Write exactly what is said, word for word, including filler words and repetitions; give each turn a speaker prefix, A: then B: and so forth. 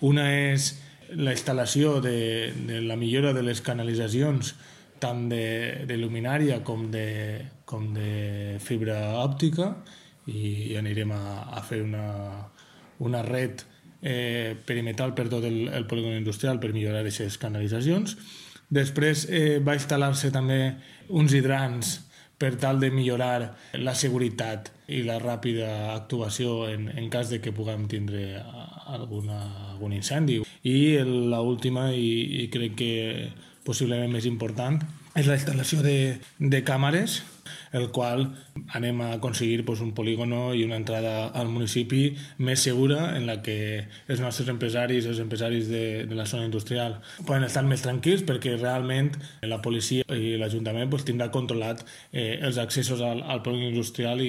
A: Una és la instal·lació de, de la millora de les canalitzacions, tant de, de luminària com de, com de fibra òptica, i anirem a, a fer una, una red eh, perimetral per tot el, el polígon industrial per millorar aquestes canalitzacions. Després eh, va instal·lar-se també uns hidrants per tal de millorar la seguretat i la ràpida actuació en, en cas de que puguem tindre alguna, algun incendi. I l'última, i, i crec que possiblement més important, és la instal·lació de, de càmeres, el qual anem a aconseguir pues, un polígono i una entrada al municipi més segura, en la que els nostres empresaris, els empresaris de, de la zona industrial, poden estar més tranquils perquè realment la policia i l'Ajuntament pues, tindrà controlat eh, els accessos al, al polígon industrial i,